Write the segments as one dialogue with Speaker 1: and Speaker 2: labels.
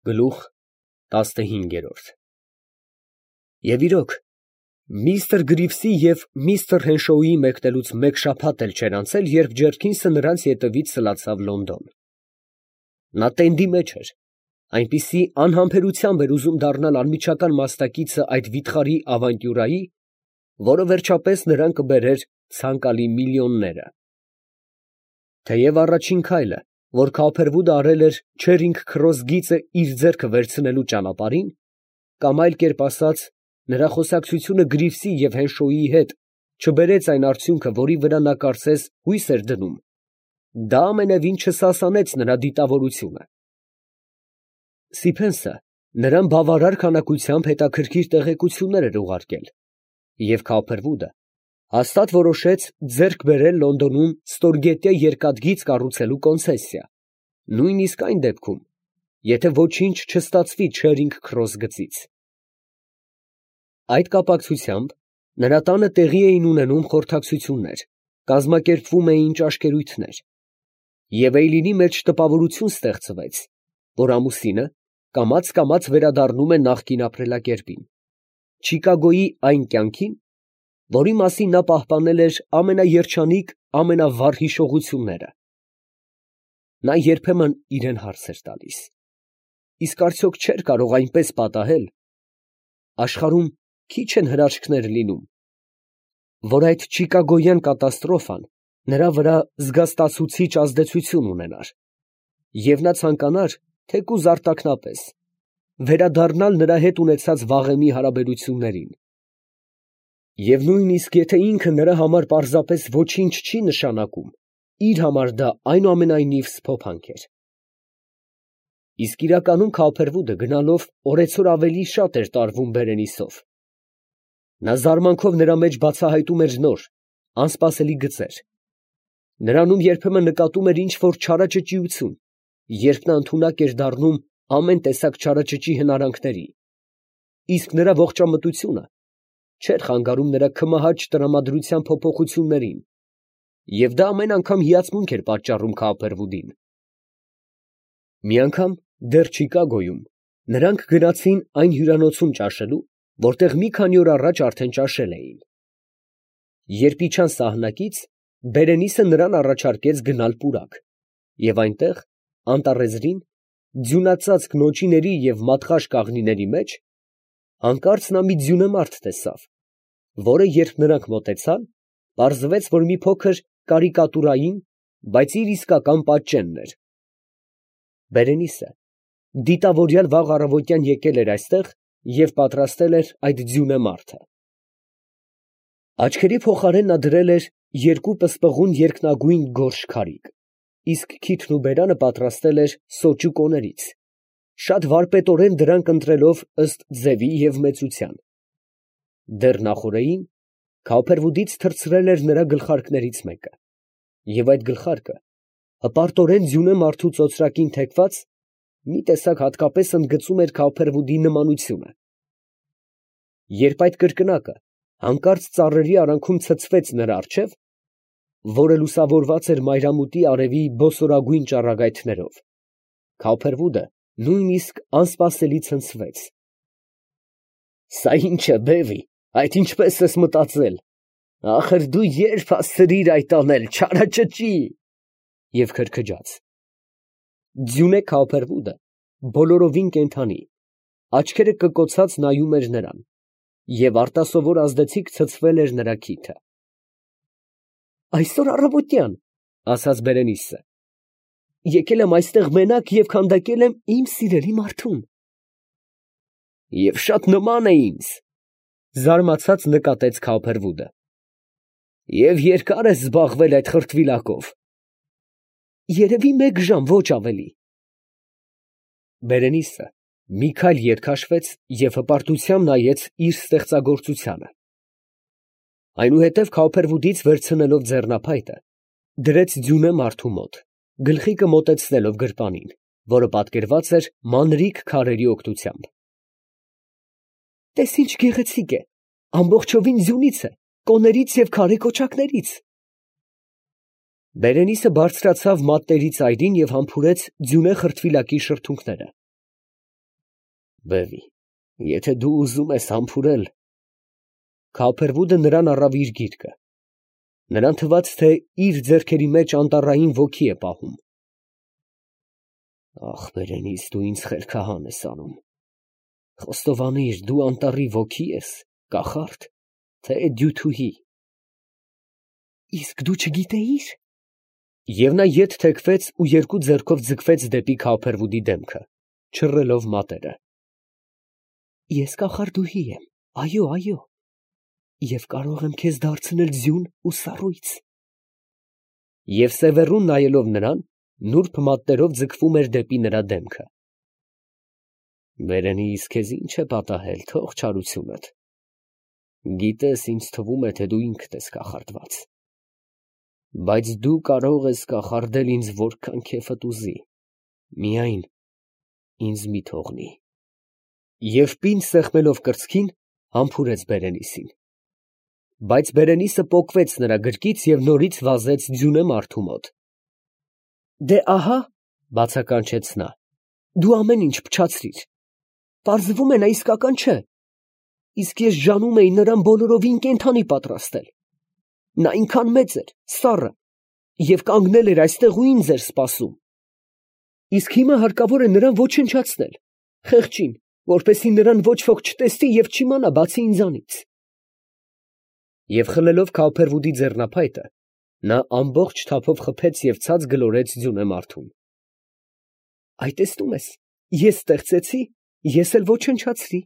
Speaker 1: Գլուխ 15 Եվ իրոք, միստր Գրիվսի և միստր Հենշոուի մեկնելուց մեկ շաբաթ էլ չէր անցել, երբ Ջերքինսը նրանց ետևից սլացավ Լոնդոն. նա տենդի մեջ էր, այնպիսի անհամբերությամբ էր ուզում դառնալ անմիջական մասնակիցը այդ վիթխարի ավանտյուրայի, որը վերջապես նրան կբերեր ցանկալի միլիոնները։ Թեև առաջին քայլը, որ Քոփերվուդը արել էր Չերինգ Քրոս գիծը իր ձեռքը վերցնելու ճանապարհին, կամ այլ կերպ ասած, նրա խոսակցությունը Գրիվսի և Հենշոուի հետ չբերեց այն արդյունքը, որի վրա նա կարծես հույս էր դնում, դա ամենևին չսասանեց նրա դիտավորությունը։ Սիփենսը նրան բավարար քանակությամբ հետաքրքիր տեղեկություններ էր ուղարկել, և Քոփերվուդը հաստատ որոշեց ձեռք բերել Լոնդոնում ստորգետնյա երկաթգիծ կառուցելու կոնցեսիա, նույնիսկ այն դեպքում, եթե ոչինչ չստացվի Չերինգ Քրոս գծից։ Այդ կապակցությամբ նրա տանը տեղի էին ունենում խորհրդակցություններ, կազմակերպվում էին ճաշկերույթներ, և Էյլինի մեջ տպավորություն ստեղծվեց, որ ամուսինը կամաց վերադառնում է նախկին ապրելակերպին, Չիկագոյի այն կյանքին, որի մասին նա պահպանել էր ամենաերջանիկ, ամենավառ հիշողությունները։ Նա երբեմն իրան հարց էր տալիս. իսկ արդյոք չէր կարող այնպես պատահել, աշխարհում քիչ են հրաշքներ լինում, որ այդ չիկագոյան կատաստրոֆան նրա վրա զգաստացուցիչ ազդեցություն ունենար, և նա ցանկանար, թեկուզ արտաքնապես, վերադառնալ նրա հետ ունեցած վաղեմի հարաբերություններին։ Եվ նույնիսկ եթե ինքը նրա համար պարզապես ոչինչ չի նշանակում, իր համար դա այնուամենայնիվ սփոփանք էր։ Իսկ իրականում Քոփերվուդը գնալով օրեցօր ավելի շատ էր տարվում Բերենիսով։ Նա զարմանքով նրա մեջ բացահայտում էր նոր, անսպասելի գծեր։ Նրանում երբեմն նկատում էր ինչ֊որ չարաճճիություն, երբ նա ընդունակ էր դառնում ամեն տեսակ չարաճճի հնարանքների, իսկ նրա ողջամտությունը չէր խանգարում նրա քմահաճ տրամադրության փոփոխություններին, և դա ամեն անգամ հիացմունք էր պատճառում Քոփերվուդին։ Մի անգամ դեռ Չիկագոյում նրանք գնացին այն հյուրանոցում ճաշելու, որտեղ մի քանի օր առաջ արդեն ճաշել էին։ Երբ իջան սահնակից, Բերենիսը նրան առաջարկեց գնալ պուրակ, և այնտեղ, անտառեզրին, ձյունածածկ նոճիների և մատղաշ կաղնիների մեջ, հանկարծ նա մի ձյունեմարդ տեսավ, որը, երբ նրանք մոտեցան, պարզվեց, որ մի փոքր կարիկատուրային, բայց իր իսկական պատճենն էր։ Բերենիսը դիտավորյալ վաղ առավոտյան եկել էր այստեղ և պատրաստել էր այդ ձյունեմարդը։ Աչքերի փոխարեն նա դրել էր երկու պսպղուն երկնագույն գորշ քարիկ, իսկ քիթն ու բերանը պատրաստել էր սոճու կոներից, շատ վարպետորեն դրանք ընտրելով ըստ ձևի և մեծության։ Դեռ նախօրեին Քոփերվուդից թռցրել էր նրա գլխարկներից մեկը, և այդ գլխարկը հպարտորեն ձյունեմարդու ծոծրակին թեքված, մի տեսակ հատկապես ընդգծում էր Քոփերվուդի նմանությունը։ Երբ այդ կրկնակը հանկարծ ծառերի արանքում ցցվեց նրա առջև, որը լուսավորված էր մայրամուտի արևի բոսորագույն ճառագայթներով, Քոփերվուդը նույնիսկ անսպասելի ցնցվեց։ «Սա ի՞նչ է, բեվի, այդ ինչպես ես մտածել, ախր դու ե՞րբ հասցրիր այդ անել, չարաճճի» և քրքջաց։ Ձյունե Քոփերվուդը բոլորովին կենդանի, աչքերը կկոցած նայում էր նրան, և արտասովոր ազդեցիկ ցցվել էր նրա քիթը։ «Այսօր առավոտյան, ֊ ասաց Բերենիսը, ֊ եկել եմ այստեղ մենակ և քանդակել եմ իմ սիրելի մարդուն»։ «Եվ շատ նման է ինձ, ֊ զարմացած նկատեց Քոփերվուդը, ֊ և երկա՞ր ես զբաղվել այդ խրտվիլակով»։ «Երևի մեկ ժամ, ոչ ավելի»։ Բերենիսը մի քայլ ետ քաշվեց և հպարտությամբ նայեց իր ստեղծագործությանը։ Այնուհետև Քոփերվուդից վերցնելով ձեռնափայտը, դրեց ձյունեմարդու մոտ, գլխիկը մոտեցնելով գրպանին, որը պատկերված էր մանրիկ քարերի օգնությամբ։ «Տես ինչ գեղեցիկ է, ամբողջովին ձյունից է, կոներից և քարե կոճակներից»։ Բերենիսը բարձրացավ մատների ծայրին և համբուրեց ձյունե խրտվիլակի շրթունքները։ Բևի, եթե դու ուզում ես համբուրել… Քափերվուդը նրան առավ իր գիրկը. նրան թվաց, թե իր ձեռքերի մեջ անտառային ոգի է պահում։ Ախ, բերենից դու ինձ խելքահան ես անում, խոստովանիր, դու անտառի ոգի ես, կախարդ, թե դյութուհի։ Իսկ դու չգիտեիր… Եվ նա ետ թեքվեց ու երկու ձեռքով ձգվեց դեպի Քափերվուդի դեմքը, չռելով մատերը։ Ես կախարդուհի եմ, այո, այո, և կարող եմ քեզ դարձնել ձյուն ու սառույց։ Եվ սևեռուն նայելով նրան, նուրբ մատներով ձգվում էր դեպի նրա դեմքը։ Բերենիս, քեզ ինչ է պատահել, թող չարությունդ։ Գիտես, ինձ թվում է, թե դու ինքդ ես կախարդված։ Բայց դու կարող ես կախարդել ինձ որքան քեֆդ ուզի, միայն ինձ մի թողնի։ Եվ պինդ սեղմելով կրծքին, համբուրեց Բերենիսին։ Բայց Բերենիսը պոկվեց նրա գրկից և նորից վազեց ձյունը մարդու մոտ։ Դե ահա, բացականչեց նա, դու ամեն ինչ փչացրիր։ Պարզվում է, նա իսկական չէ։ Իսկ ես ժանում էի նրան բոլորովին կենդանի պատրաստել։ Նա այնքան մեծ էր, սառը, և կանգնել էր այստեղ ու ինձ էր սպասում։ Իսկ հիմա հարկավոր է նրան ոչնչացնել, խեղճին, որպեսզի նրան ոչ ոք չտեսնի և չիմանա, բացի ինձանից։ Եվ խլելով Քափերվուդի ձեռնափայտը, նա ամբողջ թափով խփեց և ցած գլորեց ձյունը մարդուն։ Այ տեսնում ես, ես ստեղծեցի, ես էլ ոչնչացրի։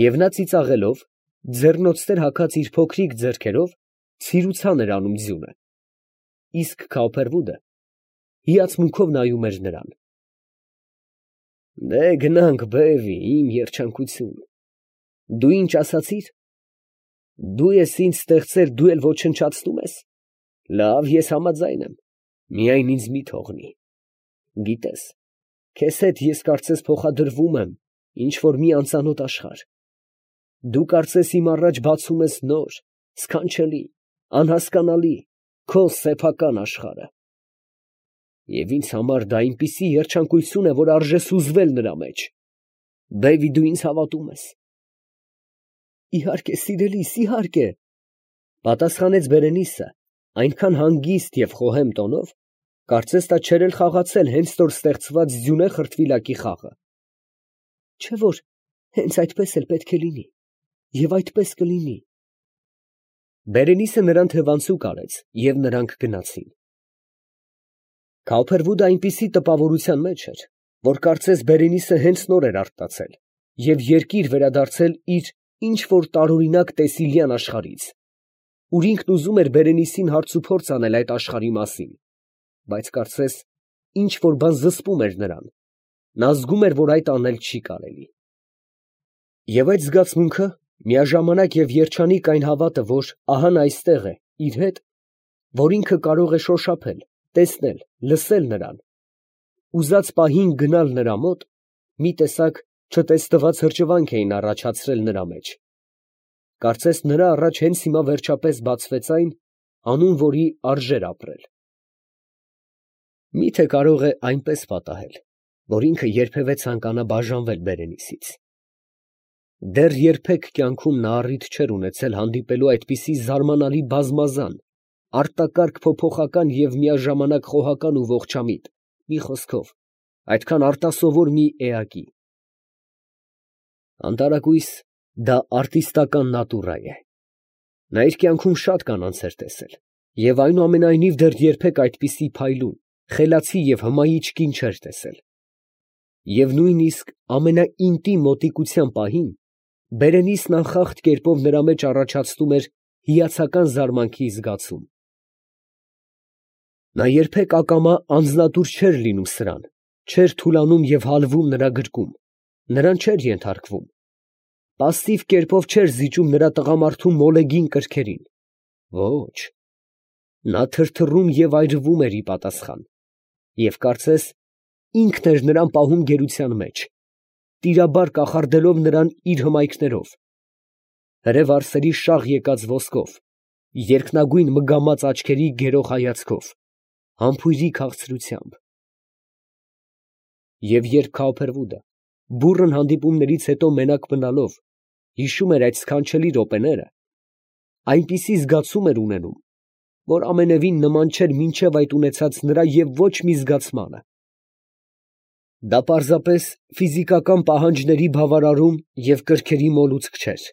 Speaker 1: Եվ նա ծիծաղելով, ձեռնոցներ հագած իր փոքրիկ ձեռքերով, ցիրուցան էր անում ձյունը, իսկ Քափերվուդը հիացմունքով նայում էր նրան։ Դե գնանք, բևի, իմ երջանկություն, դու ինչ ասացիր։ Դու ես ինձ ստեղծել, դու էլ ոչնչացնում ես։ Լավ, ես համաձայն եմ, միայն ինձ մի թողնի։ Գիտես, քեզ հետ ես կարծես փոխադրվում եմ ինչ֊որ մի անծանոթ աշխարհ։ Դու կարծես իմ առաջ բացում ես նոր, սքանչելի, անհասկանալի, քո սեփական աշխարհը։ Եվ ինձ համար դա այնպիսի երջանկություն է, որ արժե սուզվել նրա մեջ։ Բեվի, դու ինձ հավատում ես։ Իհարկե, սիրելիս, իհարկե, պատասխանեց Բերենիսը, այնքան հանգիստ և խոհեմ տոնով, կարծես նա չէր էլ խաղացել հենց նոր ստեղծված ձյունե խրտվիլակի խաղը։ Չէ՞ որ հենց այդպես էլ պետք է լինի, և այդպես կլինի։ Բերենիսը նրան թևանցուկ արեց, և նրանք գնացին։ Քափերվուդը այնպիսի տպավորության մեջ էր, որ կարծես Բերենիսը հենց նոր էր արթնացել և երկիր վերադարձել իր ինչ֊որ տարօրինակ տեսիլյան աշխարհից, ուր ինքն ուզում էր Բերենիսին հարցուփորձ անել այդ աշխարհի մասին, բայց կարծես ինչ֊որ բան զսպում էր նրան, նա զգում էր, որ այդ անել չի կարելի։ Եվ այդ զգացմունքը, միաժամանակ և երջանիկ այն հավատը, որ ահա նա այստեղ է, իր հետ, որ ինքը կարող է շոշափել, տեսնել, լսել նրան, ուզած պահին գնալ նրա մոտ, մի տեսակ չտեսնված հրճվանք էին առաջացրել նրա մեջ։ Կարծես նրա առաջ հենց հիմա վերջապես բացվեց այն, անուն որի արժեր ապրել։ Մի՞թե կարող է այնպես պատահել, որ ինքը երբևէ ցանկանա բաժանվել Բերենիսից։ Դեռ երբեք կյանքում նա առիթ չէր ունեցել հանդիպելու այդպիսի զարմանալի բազմազան, արտակարգ փոփոխական և միաժամանակ խոհական ու ողջամիտ, մի խոսքով, այդքան արտասովոր մի էակի։ Անտարակույս, դա արտիստական նատուրա է։ Նա իր կյանքում շատ կանանց էր տեսել, և այնուամենայնիվ դեռ երբեք այդպիսի փայլուն, խելացի և հմայիչ կին չէր տեսել։ Եվ նույնիսկ ամենաինտիմ մոտիկության պահին Բերենիսն անխախտ կերպով նրա մեջ առաջացնում էր հիացական զարմանքի զգացում։ Նա երբեք ակամա անձնատուր չէր լինում սրան, չէր թուլանում և հալվում նրա գրկում, նրան չէր ենթարկվում, պասիվ կերպով չէր զիջում նրա տղամարդու մոլեգին կրքերին։ Ոչ, նա թրթռում և այրվում էր ի պատասխան, և կարծես ինքն էր նրան պահում գերության մեջ, տիրաբար կախարդելով նրան իր հմայքներով, հրե վարսերի շաղ եկած ոսկով, երկնագույն մգամած աչքերի գերող հայացքով, համբույրի քաղցրությամբ։ Եվ երբ Քափերվուդը բուռն հանդիպումներից հետո մենակ մնալով, հիշում էր այդ սքանչելի րոպեները, այնպիսի զգացում էր ունենում, որ ամենևին նման չէր մինչև այդ ունեցած նրա և ոչ մի զգացմանը. դա պարզապես ֆիզիկական պահանջների բավարարում և կրքերի մոլուցք չէր,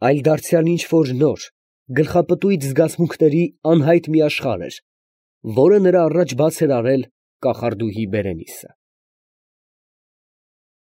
Speaker 1: այլ դարձյալ ինչ֊որ նոր, գլխապտույտ զգացմունքների անհայտ մի աշխարհ էր, որը նրա առաջ բաց էր արել կախարդուհի Բերենիսը։